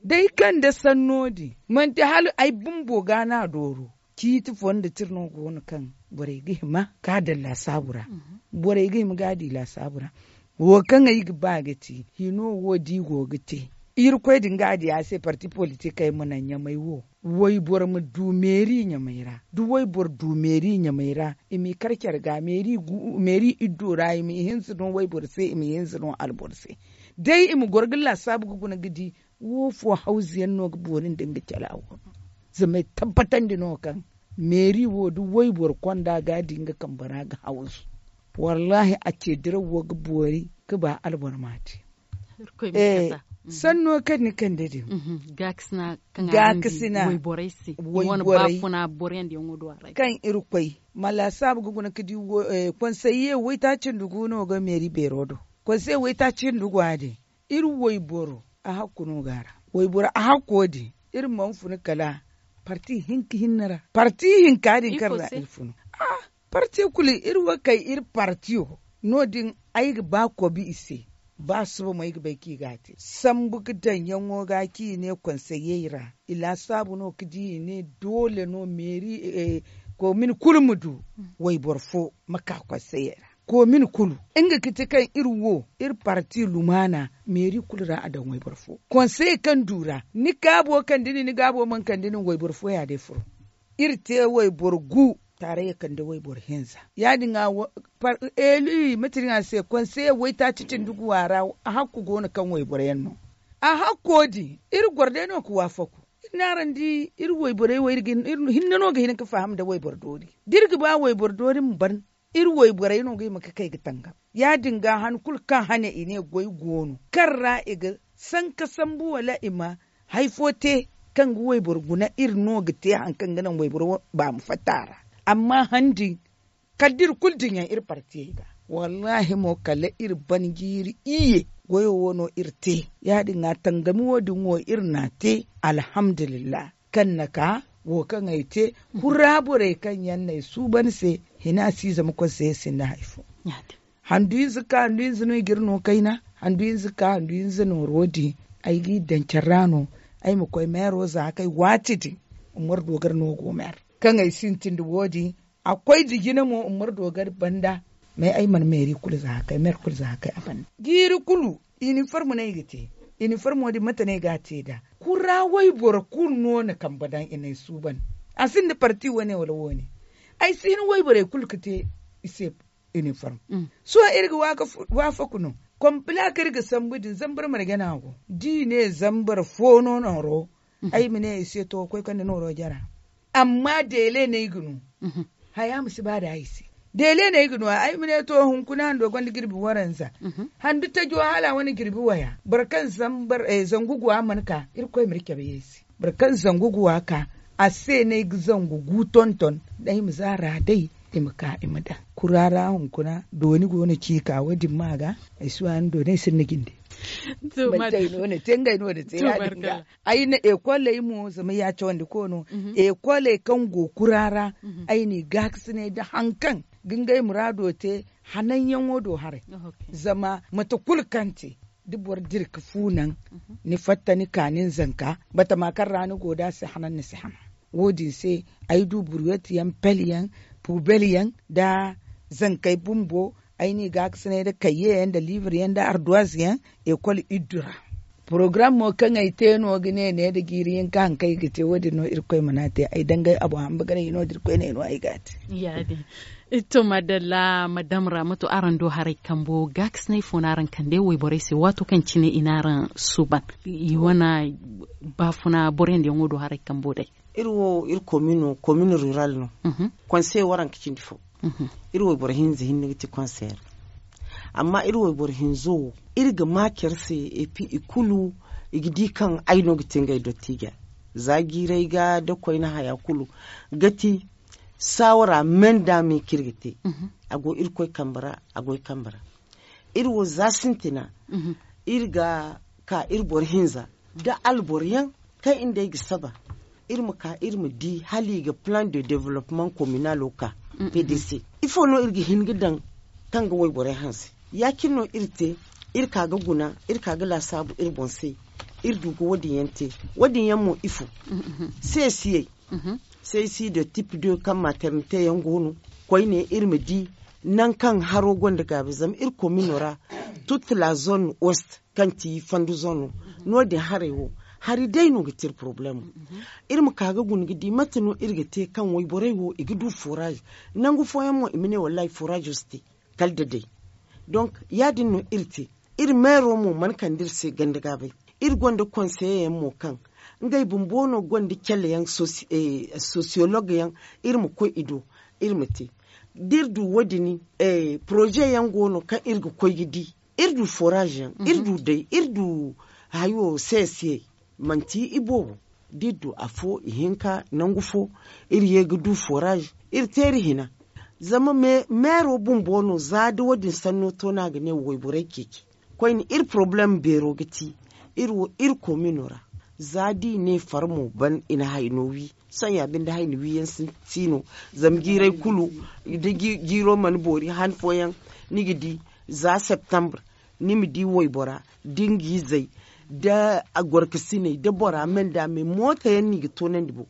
Day kaŋ nda sanno din manti hala ay bumbo ga no a dooro ciiti fo nda tira no go no kaŋ borey ga hima ga a daŋ laasaabu ra. Borey ga hima ga a di laasaabu ra. Wo kaŋ ay ga ba ga ti hino wo da i go ga te irkoy din ga a di a se parti politikey ma naŋ ɲamay wo wayboro ma du meeri ɲamay ra da wayboro du meeri ɲamay ra i m'i kar care ga meeri iddo ra i m'i hinza no wayboro se i m'i hinza no alboro se. Day i ma goro ga laasaabu ga guna ga di wo fo hawzu yaŋ no ga boori nda nga cala wo no zama ay tabbatandi no kaŋ meeri wo da wayboro konda ga a di nga kambe ra ga hawzu. Wallahi a ce diraw wo ga boori ga ba alboro ma te. Sanno kaŋ ni kande din gaakasina kaŋ irkoy ma laasaabu ga guna ga di konseye waytaaci nda gu no ga meeri beero do. Konseye waytaaci nda gu a din iri wayboro a hakku no ga a ra. Wayboro a hakko din iri mana funa kala parti hinka hinne ra parti hinka din kaŋ ra iri funu. Parti kulu iri wo kay iri partiyo no- din Ay ga ba kobi i se. Ba suba mo ay ga bay kaŋ i ga a te sambu ga daŋ yaŋo ga kaŋ i ne konseyey ra. I laasaabu no ga di i ne doole no meeri eh, komin kulu ma du wayboro fo ma ka konseyey ra. Komin kulu nga ga ti kaŋ iri wo iri parti lumaana meeri kulu ra a daŋ wayboro fo. Konseyey kaŋ du ra ni gaabo kande nin ni gaabo mana kande nin wayboro fo ya day furo. Iri te wayboro gu taarayya kande wayboro hinza. Ya- din ga eeli mate din a se konseye waytaaci cindi guwa ra. A hakku go no kaŋ wayboro yaŋ no a hakko din iri goro day no ga waafaku. Iri n'araŋ di iri wayborey wo iri hinne no ga hin ga faham nda wayboro doori da iri ga ba wayboro doori ma ban. Iri wayborey no ga hima ga kay ga tangam. Ya- din ga han kulu kaŋ hane i ne goy go no kaŋ ra i ga sanka sambu wala i ma hari fo te kaŋ ga wayboro guna iri no ga te hari kaŋ ga naŋ wayboro ba ma fatta a ra. Amma han din kala da iri kulu dinya iri partiyey ga wallaahi mo kala iri ban jiiri iyye. Goyo wo no iri te. Ya- din ga tangami wo- din wo iri n'a te. Alhamdulillah. Kaŋ na ka wo kaŋ ay te kura borey kaŋ yaŋ no ay suuban se. Hina si zama konseye sinda hari fo. Handu hinza ka handu hinza no i ga iri no kayna. Handu hinza ka handu hinza nooro din ay g'i daŋ care ra no. Ay ma koy meero za kay waati din. Umaru dogari no go meero kaŋ ay sintin nda wo- din. A koy da jina mo umaru dogari banda. Mais ay mana meeri kulu za kay meero kulu za kay a banda. Jiiri kulu iniformo no ay ga te. Iniformo din mate no ay ga a te nd'a? Kura wayboro kulu no na kambe daŋ i n'ay suuban. A sinda parti wane wala wane. Ay si hin wayborey kulu ga te i se. Iniform. Sohõ iri ga waafaku no. Kompila kaŋ iri ga sambu din zambar marje no a go da i ne zambar fo no nooro. Ay ma ne i se to koy kande nooro jara. Amma deele no ay ga no. Haya ma si ba da ay se. Deele no ay ga no ay ma ne to hunkuna hando gonda jirbi waranza. Handu tajo hala wane jirbi waya boro kaŋ zangu guwa mana ka irkoy ma iri cabe ye se. Boro kaŋ zangu guwa ka a se no ay ga zangu gu tonton. Day ma zaara day i ma ka i ma daŋ kura ra hunkuna dooni go no ci ka wo- din ma ga. Ay si waani dooni ay sinda jinde. Manti ay no na te ngey no na te ya- din ga ay na ekoley mo zama ya cawandi ko no. Ekoley kaŋ go kura ra ay n'i gaakasinay nda hari kaŋ ga ngey muraado te. Hananyaŋo do haray. Zama mate kulu kaŋ te da boro dira ga fu naŋ ni fatta ni ka nin zanka batama kaŋ ra ni go nd'a si hanan ni si hana. Wo- din se ay du burwet yaŋ pel yaŋ pubel yaŋ nda zankey bumbo. Ay n'i gaakasinay nda kayye yaŋ nda liibir yaŋ nda arduwaz yaŋ ekol iddu ra. Porogaram mo kaŋ ay te no ga ne ne nda jiiri hinka hari kaŋ ay ga te wo- din no irkoy mana te ay dangay abo hamba ga ne i no nda irkoy ne no ay ga a te. To madalla madam ra mato araŋ do haray kambo gaakasinay fo no araŋ kande wayborey se waato kaŋ cine i n'araŋ suuban i wane baafuna boro yaŋ da yaŋo do haray kambo day. Iri wo iri komino komino rural no. Konsey waranka cindi fo. Iri wayboro hinza hinne ga ti konsey ra. Amma iri wayboro hinzo wo iri ga ma care se. Epi i kulu i ga di kaŋ ay no ga te ngey dottija za jiiray ga da koyne haya kulu ga ti saawara men da me kaŋ iri ga te. A go irkoy kambe ra a goy kambe ra. Iri wo za sintina iri ga ka iri boro hinza da alboro yaŋ kaŋ iri nd'ey ga saba. Iri ma ka iri ma di hala i ga plan de development communalo ka. P d c ifo no iri ga hin ga daŋ kaŋ ga wayborey hanse? Ya- cine no iri te. Iri ka ga guna iri ka ga laasaabu iri boŋ se. Iri du ga wo- din yaŋ te. Wo- din yaŋ mo ifo? Seesiyey. Seesi de tip de kaŋ maternite yaŋ go no. Koyne iri ma di nangu kaŋ haro gonda gaabi zama iri komino ra. Tutte la zone ouest kaŋ ti fandu zono. No- din haray wo hari day no ga te iri porobalemo. Iri ma ka ga guna ga di mate no iri ga te kaŋ wayborey wo i ga du forage. Nangu fooyaŋ mo i ma ne wallahi forage wo si te kala da day. Donk ya- din no iri te. Iri meero mo mana kande iri se ganda gaabay. Iri gonda konseye yaŋ mo kaŋ ngey bumbo no gonda cale yaŋ. Sosiyolog yaŋ iri ma koy i do. Iri ma te da iri du wo- din poroze yaŋ go no kaŋ iri ga koy ga di. Iri du forage yaŋ iri du day iri du hayo sesiyey. Manti iboobo da iri du afo ihinka nangu fo iri ye ga du forage. Iri te iri hina zama meero bumbo no za da wo- din sanno to no a ga ne wayborey ceeci. Koyne iri porobalem beero ga ti iri wo iri komino ra. Za da i ne far mo ban i na hayno wi sohõ ya binde hayno wi yaŋ si no. Zama jiirey kulu da jiiro mana boori han fooyaŋ ni ga di. za septembre, ni ma di waybora da nga izey, da gorkasiney da bora me nda me mooto yaŋ no i ga toonandi boŋ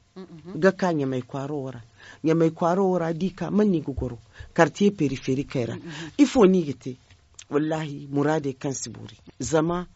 ga ka ɲamay kwaaro wo ra. Ɲamay kwaaro wo ra da i ka man no i ga goro? Kartiye periferikey ra. Ifo no i ga te? Wallaahi muraadey kaŋ si boori. Zama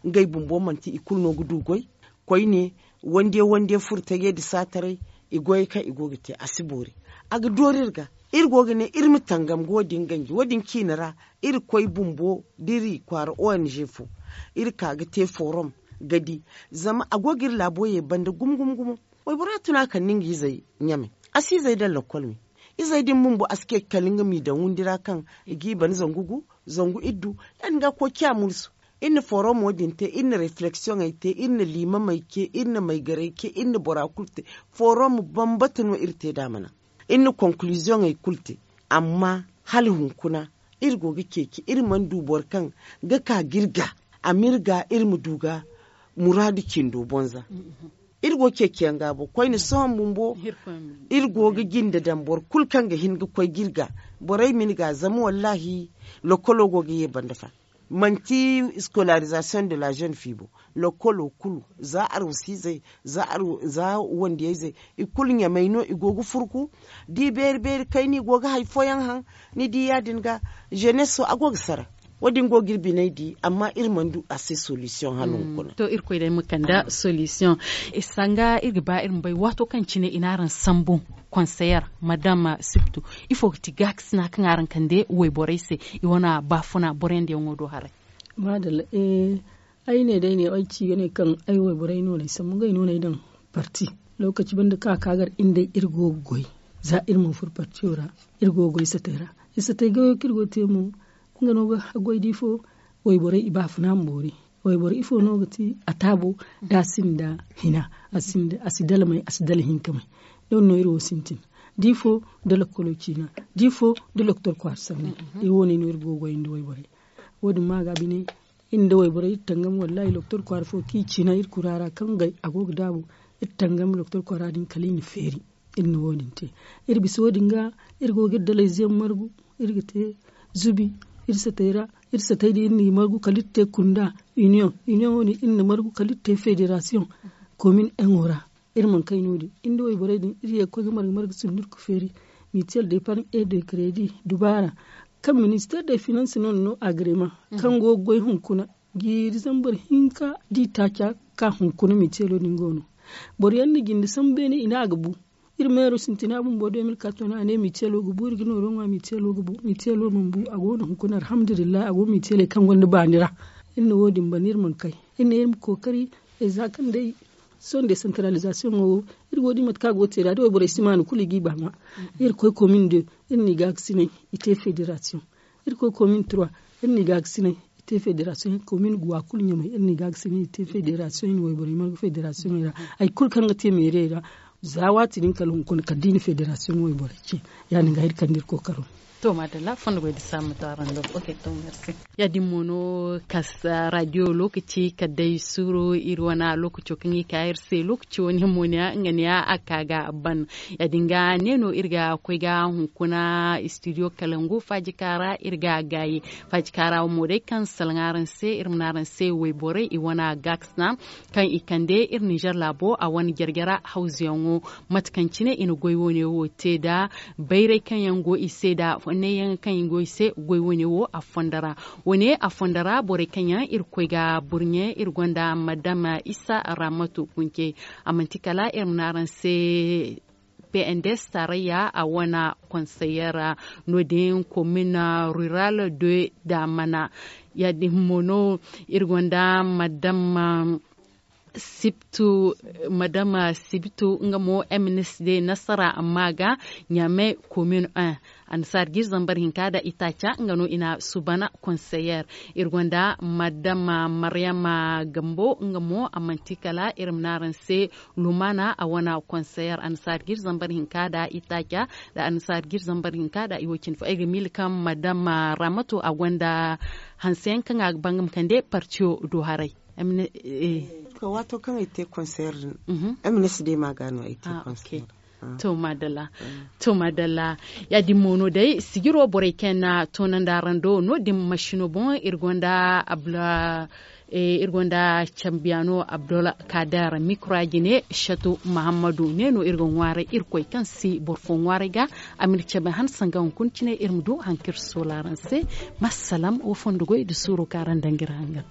ngey bumbo manti i kulu no ga du goy. Koyne, wande wande furo taje nda saataray, i goyey kaŋ i go ga te a si boori. A ga doori iri ga, iri go ga ne iri ma tangam ga wo- din ganji wo- din ciine ra. Iri koy bumbo da iri kwaara ong fo, iri ka ga te forom ga di. Zama a go ga iri laabo ye banda gumo gumo gumo. Waybora tun a kande nga izey ɲamay, a si izey daŋ lakkol me. Izey din bumbo a si ce kala nga m'i daŋ windi ra kaŋ i g'i ban zangu gu, zangu iddu. Ya- din ga koy ciya mursu. Iri na forum wo- din te, iri na refleksiyoŋey te, iri na liimamey ce, iri na maygarey ce, iri na bora kulu te. Forum bambata no iri te nd'a mana, iri na konkuluziyoŋey kulu te. Amma hala hunkuna iri go ga ceeci, iri mana du boro kaŋ ga ka ga iri ga, a m'iri ga iri ma du ga muraadu cindo bonza. Iri go ceeciyaŋ ga bo koyne sohõ bumbo. Iri go ga jinde daŋ boro kulu kaŋ ga hin ga koy ga iri ga. Borey ma ni ga zama wallaahi, lokolo go ga ye banda fa. Manti scolarisation de la jeune fille bo, lokolo kulu, za arwasiizey, za wandiyayzey, i kulu ɲamay no i go ga furku. Da i beeri beeri kayna i go ga hari fooyaŋ haŋ. Ni di ya- din ga, jeneso a go ga sara. Wo- din go ga iri biney di amma iri mana du a se solisiyoŋ hala hunkuna. To irkoy day ma kande solisiyoŋ. Sanga iri ga ba iri ma bay waato kaŋ cine i n'araŋ sambu konseyer, madam sibtu, ifo ga ti gaakasina kaŋ araŋ kande wayborey se, i wane baafuna boroyandiyaŋo do haray? Maadalla. Ay ne day ne ay ci ga ne kaŋ ay wayborey no no ay sambu ngey no no ay daŋ parti. Lookaci banda kaŋ a ka gar iri day iri go ga goy, za iri mana furo partiyo ra, iri go ga goy satey ra. Satey goyo kaŋ iri go ga te mo, nga no ga haggoy da ifo. Wayborey i baafuna ma boori. Wayboro ifo no ga ti a taabo? Da a sinda hina, a si dalmay, a si dala hinkamay. Doŋ no iri wo sintin. Da ifo, da lokkolo ciina, da ifo, da loktor kwaara sanni. Iri wo- ne no iri go ga goyandi wayborey. Wo- din ma ga bine, iri nda wayborey iri tangam wallaahi loktor kwaara fo kaŋ i ciina iri kura ra kaŋ gay a go ga daabu. Iri tangam loktor kwaara din kala i na feeri. Iri na wo- din te. Iri bisa wo- din ga, iri go ga iri dalayze yaŋ margu, iri ga te zubi iri satey ra. Iri satey din iri n'i margu kala iri te kunda, iniyoŋ iniyoŋo din iri na margu kala iri te federasiyoŋ. Komin eŋo ra, iri mana kay no- din iri nda wayborey din iri ye ga koy ga marga marga sundu iri ga feeri. Mitiyel de parn e de kredi dubaara kaŋ minister de finans no na no agrema, kaŋ go ga goy hunkuna jiiri zambar hinka da i taaca ka hunkuna mitiyelo din go no. Boro yaŋ na jinde sambu beene i ne a ga bu. Iri meero sintina bumbo de mil karton a ne mitiyelo ga bu iri ga nooro ŋwa mitiyelo ga bu mitiyelo mana bu a go no hunkuna alhamdulillahi a go mitiyeley kaŋ gonda baani ra. Iri na wo- din banda iri mana kay. Iri ne iri ma kookari, za kaŋ day sohõ desantaralizasiyoŋo wo, iri go ga di mate kaŋ a go ga te nd'a da wayborey si maanu kulu i g'i ba ŋwa. Iri koy komin de, iri n'i gaakasinay, i te federasiyoŋ. Iri koy komin trois, iri n'i gaakasinay, i te federasiyoŋ. Komin guwa kulu ɲamay iri n'i gaakasinay i te federasiyoŋ i na wayborey marga federasiyoŋey ra. Hari kulu kaŋ ga te meerey ra, za waati din kala hunkuna kala da i na federasiyoŋ wayborey ce. Ya- din ga iri kande iri kookaro. To maadalla fondo goy da saamu ma to araŋ do. Ya- din mo no kasa radiyo lookaci kala day suuru iri wane lookaco kaŋ i ka iri se lookaci wane mo ne ya nga ne ya a ka ga ban. Ya- din ga ne no iri ga koy ga hunkuna istidiyo kalangu faajika ra iri ga gaayi. Faajika ra mo day kaŋ salaŋ araŋ se iri ma ne araŋ se wayborey i wane gaakasina kaŋ i kande iri ninzeer laabo a wane jarjara hawzuyaŋo. Mate kaŋ cine i na goy wane wo te nda bayray kaŋ yaŋ go i se nda fonnay yaŋ kaŋ i go i se goy wane wo a fondo ra. Wane a fondo ra borey kaŋ yaŋ iri koy ga burɲe iri gonda madam isa ramatu kunce. A manti kala iri ma ne araŋ se pnds tarayya a wane konseyer no- din komin rural de damana. Ya- din mo no iri gonda madam sibtu madam sibtu nga mo mnsd nasara amma ga ɲame komin un. Annasaari ga iri zambar hinka nda itaaca nga no i na subana konseyer. Iri gonda madam maryama gambo nga mo a manti kala iri ma ne araŋ se lumana a wane konseyer annasaari ga iri zambar hinka nda itaaca. Nda annasaari ga iri zambar hinka nda i wo- cine fo ay ga miila kaŋ madam ramatu a gonda hanse yaŋ kaŋ a ga ba nga ma kande partiyo do haray. Waato kaŋ ay te konseyer din, mnsd ma ga no ay te konseyer. To madalla. To madalla. Ya- din mo no day sijiro borey kaŋ yaŋ na toonandi araŋ do no- din masino boŋ iri gonda abla iri gonda cambiyaano abdulkader mikro a jine. Shatu mahammadu ne no iri ga ŋwaaray irkoy kaŋ si boro fo ŋwaaray ga a ma iri cabe han sanga hunkuna cine iri ma du hari kaŋ iri soola araŋ se. Masalam wo fondo goy nda suuro kaŋ araŋ daŋ ga iri hangan.